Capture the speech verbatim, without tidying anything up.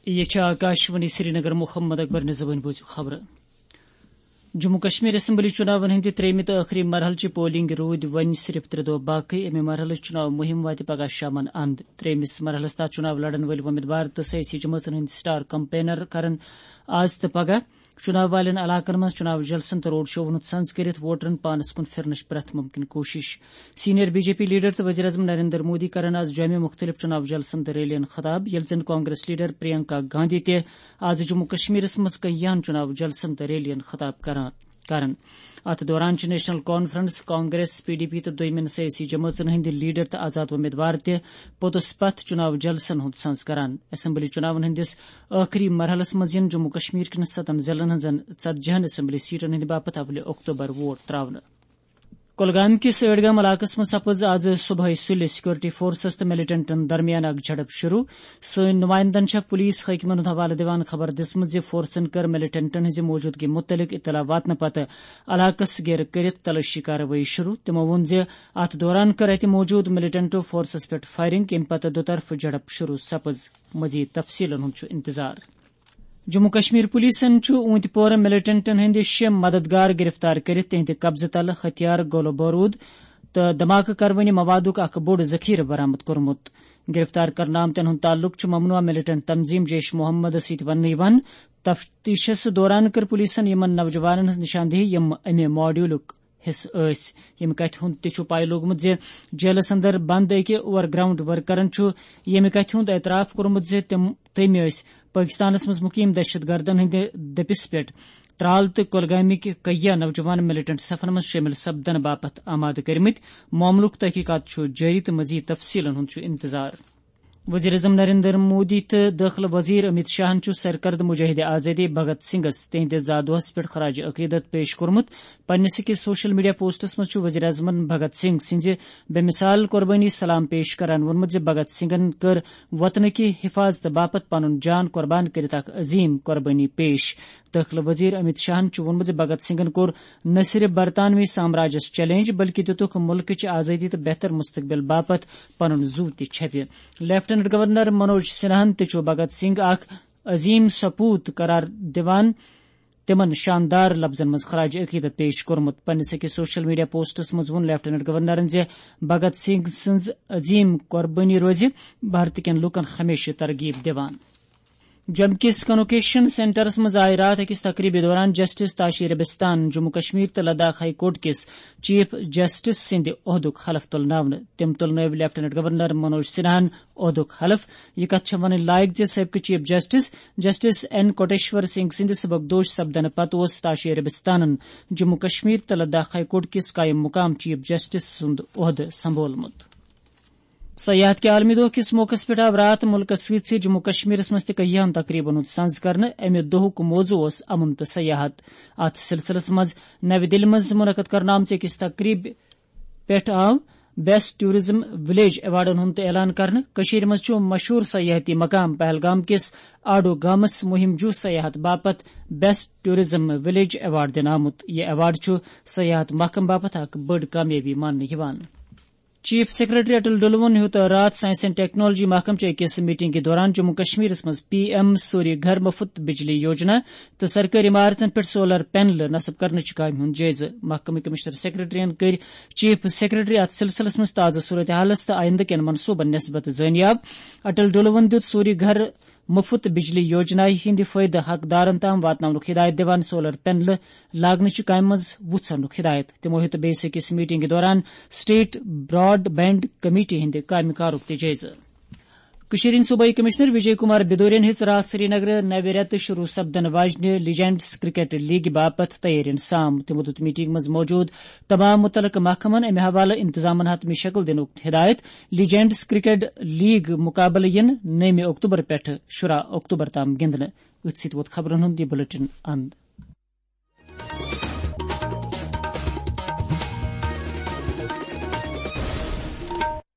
یہ چھِ آکاشوانی سرینگر۔ محمد اکبر نظامن بوٗزِو خبرٕ۔ جموں کشمیر اسمبلی چُناون ہٕنٛدِ ترٛیٚیمہِ تہٕ ٲخری مرحلہٕ چہِ پولنگ روٗدۍ وۄنۍ صرف ترٛےٚ دۄہ باقٕے۔ اَمہِ مرحلہٕ چُناو مُہِم واتہِ پگاہ شامن اند۔ ترٛیٚیمِس مرحلس تحت چُناو لڑن وٲلۍ وۄمیدوار تہٕ سیٲسی جمٲژن ہٕنٛدۍ سٹار کمپینر کرن آز تہٕ پگاہ چُناو والٮ۪ن علاقن منٛز چُناو جلسن تہٕ روڈ شوون ہُنٛد سنز کٔرِتھ ووٹرن پانس کُن پھِرنٕچ پرٛٮ۪تھ مُمکِن کوٗشِش۔ Senior B J P leader تہٕ وزیر اعظم نریندر مودی کرن آز جوٚمہِ مُختٔلِف چُناو جلسن تہٕ ریلین خطاب، ییٚلہِ زن کانگریس لیڈر پرینکا گاندھی تہِ آز جموں کشمیرس منٛز کیاہن چُناو جلسن تہٕ ریلین خطاب کران کرن۔ اتھ دوران چھِ national conference, Congress, P D P تہٕ دوٚیمٮ۪ن سیٲسی جمٲژن ہٕنٛدۍ لیڈر تہٕ آزاد امیدوار تہِ پوٚتُس پتھ چُناو جلسن ہُنٛد سنز کران۔ اسمبلی چُناون ہٕنٛدِس ٲخری مرحلس منٛز یِن جموں کشمیر کٮ۪ن ستن ضلعن ہٕنٛزن ژتجی ہن اسمبلی سیٹن ہٕنٛدِ باپتھ اولہِ اکتوبر ووٹ تراونہٕ۔ کۄلگامہِ کِس ٲڈگام علاقس منٛز سپٕز آز صبحٲے سُلہِ سیکورٹی فورسز تہٕ ملیٹنٹن درمیان اکھ جھڑپ شروع۔ سٲنۍ نمائندن چھےٚ پولیس حٲکمن ہُنٛد حوالہٕ دِوان خبر دِژمٕژ زِ فورسن کٔر ملیٹنٹن ہٕنٛزِ موجودگی مُتعلق اطلاع واتنہٕ پتہٕ علاقس گیرٕ کٔرِتھ تلٲشی کاروٲیی شروع۔ تِمو ووٚن زِ اتھ دوران کٔر اتہِ موجود ملیٹنٹو فورسس پٮ۪ٹھ فائرنگ، ییٚمہِ پتہٕ دُطرفہٕ جھڑپ شروع سپٕز۔ مزید تفصیلن ہُنٛد چھُ انتظار۔ جموں کشمیر پولیسن چھُ اوٗنتۍ پورٕ ملیٹنٹن ہٕنٛدۍ شےٚ مددگار گرفتار کٔرِتھ تِہنٛدِ قبضہٕ تلہٕ ہتھیار، گولہٕ بوروٗد تہٕ دھماکہٕ کروٲنی موادُک اکھ بوٚڑ ذخیرٕ برآمد کوٚرمُت۔ گرفتار کرنہٕ آمتٮ۪ن ہُنٛد تعلق چھُ ممنوعہ ملیٹنٹ تنظیم جیش محمد سۭتۍ وننہٕ یِوان۔ تفتیشس دوران کٔر پولیسن یِمن نوجوانن ہٕنٛز نشاندہی، یِم امہِ ماڈیولُک حصہٕ ٲسۍ۔ ییٚمہِ کتھِ ہُنٛد تہِ چھُ پاے لوٚگمُت زِ جیلس اندر بند أکۍ اوور گراؤنڈ ورکرن چھُ ییٚمہِ کتھِ ہُنٛد اعتراف کوٚرمُت زِ تِم، تٔمۍ ٲسۍ پٲکستانس منٛز مُقیم دہشت گردن ہٕنٛدِ دٔپِس پٮ۪ٹھ ترال تہٕ کۄلگامٕکۍ کیاہ نوجوان ملیٹنٹ صفن منٛز شٲمِل سپدنہٕ باپتھ آمادٕ کٔرمٕتۍ۔ معاملُک تحقیقات چھُ جٲری تہٕ مزید تفصیلن ہُنٛد چھُ انتظار۔ وزیر اعظم نریندر مودی تہٕ دٲخلہٕ وزیر امیت شاہن چھُ سرکردٕ مجاہد آزادی بھگت سنگھس تِہنٛدِ زا دۄہس پٮ۪ٹھ خراج عقیدت پیش کوٚرمُت۔ پننِس أکِس سوشل میڈیا پوسٹس منٛز چھُ وزیر اعظمن بھگت سنگھ سٕنٛزِ بے مثال قربٲنی سلام پیش کران ووٚنمُت زِ بھگت سنگھن کٔر وطنہٕ کہِ حفاظتہٕ باپتھ پنُن جان قربان کٔرِتھ اکھ عظیم قربٲنی پیش۔ دٲخلہٕ وزیر امیت شاہن چھُ ووٚنمُت زِ بھگت سنگھن کوٚر نہ صرف برطانوی سامراجس چیلنج، بلکہِ دِتُکھ مُلکٕچ آزٲدی تہٕ بہتر مستقبل باپتھ پنُن زُو تہِ چھپہِ۔ لیفٹیننٹ گورنر منوج سنہاہن تہِ چھُ بھگت سنگھ اکھ عظیم سپوت قرار دِوان تِمن شاندار لفظن منٛز خراج عقیدت پیش کوٚرمُت۔ پننِس أکِس سوشل میڈیا پوسٹس منٛز ووٚن لیفٹیننٹ گورنرن زِ بھگت سنگھ سٕنٛز عظیم قربٲنی روزِ بھارت کٮ۪ن لوٗکن ہمیشہٕ ترغیب دِوان۔ جوٚم کِس کنووکیشن سینٹرس منٛز آیہِ راتھ أکِس تقریبہِ دوران جسٹس تاشی ربستان، جموں کشمیر تہٕ لداخ ہائی کورٹ کِس چیف جسٹس سٕنٛدِ عہدُک حلف تُلناونہٕ۔ تٔمۍ تُلنٲوۍ لیفٹیننٹ گورنر منوج سنہاہن عہدُک حلف۔ یہِ کتھ چھےٚ ونٕنۍ لایق زِ سٲبقہٕ chief justice, justice N Koteshwar Singh سٕنٛدِ سبکدوش سپدنہٕ پتہٕ اوس تاشی ربستانن جموں کشمیر تہٕ لداخ ہائی کورٹ کِس قائم مقام چیف جسٹس سُنٛد عہدٕ سنبھولمُت۔ سیاحت کہِ عالمی دۄہ کِس موقعس پٮ۪ٹھ آو راتھ مُلکَس سۭتۍ سۭتۍ جموں کشمیرَس منٛز تہِ کینٛہَن تقریٖبَن ہُنٛد سنز کرنہٕ۔ اَمہِ دۄہُک موضوع اوس امن تہٕ سیاحت۔ اَتھ سلسلس منٛز نَوِ دِلہِ منٛز مُنعقد کرنہٕ آمژِ أکِس تقریٖبہِ پٮ۪ٹھ آو بیسٹ ٹورازم ولیج ایوارڈن ہُنٛد تہِ اعلان کرنہٕ۔ کٔشیٖرِ منٛز چھُ مشہوٗر سیاحتی مقام پہلگام کِس آڈو گامَس مُہِم جوٗ سیاحت باپتھ بیسٹ ٹورازم ولیج ایوارڈ دِنہٕ آمُت۔ یہِ ایوارڈ چھُ سیاحت محکمہٕ باپتھ اکھ بٔڑ کامیٲبی ماننہٕ یِوان۔ چیف سیکرٹری اٹل ڈلوُن ہیوٚت راتھ سائنس اینڈ ٹیکنالوجی محکمہٕ چہِ أکِس میٹنگہِ دوران جموں کشمیرس منٛز پی ایم سوری گھر مفت بجلی یوجنا تہٕ سرکٲرۍ عمارژن پٮ۪ٹھ سولر پینلہٕ نصب کرنٕچہِ کامہِ ہُنٛد جٲیزٕ۔ محکمہٕ کمشنر سیکرٹریَن کٔرۍ چیف سیکرٹری اتھ سلسلس منٛز تازٕ صورتحالس تہٕ آئندٕ کٮ۪ن منصوبن نسبت زٲنیاب۔ اٹل ڈلوُن دیُت سوری گھر مفت بجلی یوجنایہِ ہٕنٛدِ فٲیدٕ حقدارن تام واتناونُک ہدایت دِوان سولر پینلہٕ لاگنٕچہِ کامہِ منٛز وُژھ اننُک ہدایت۔ تِمو ہیوٚت بیٚیِس أکِس میٹنگہِ دوران اسٹیٹ براڈ بینڈ کمیٹی ہٕنٛدِ کامہِ کارُک تہِ جٲیزٕ۔ کٔشیٖرِ ہٕنٛدۍ صوبٲئی کمشنر وجے کمار بدورین ہیٚژ راتھ سرینگرٕ نوِ رٮ۪تہٕ شروع سپدن واجنہِ لیجنڈز کرکٹ لیگہِ باپتھ تیٲرین سام۔ تِمو دیُت میٹنگ منٛز موجود تمام متعلقہٕ محکمن امہِ حوالہٕ انتظامن حتمی شکل دِنُک ہدایت۔ لیجنڈز کرکٹ لیگ مقابلہٕ یِن نٔومہِ اکتوبر پٮ۪ٹھٕ شُراہ اکتوبر تام گِنٛدنہٕ۔ أتھۍ سۭتۍ ووت خبرن ہُنٛد یہِ بلیٹن اند۔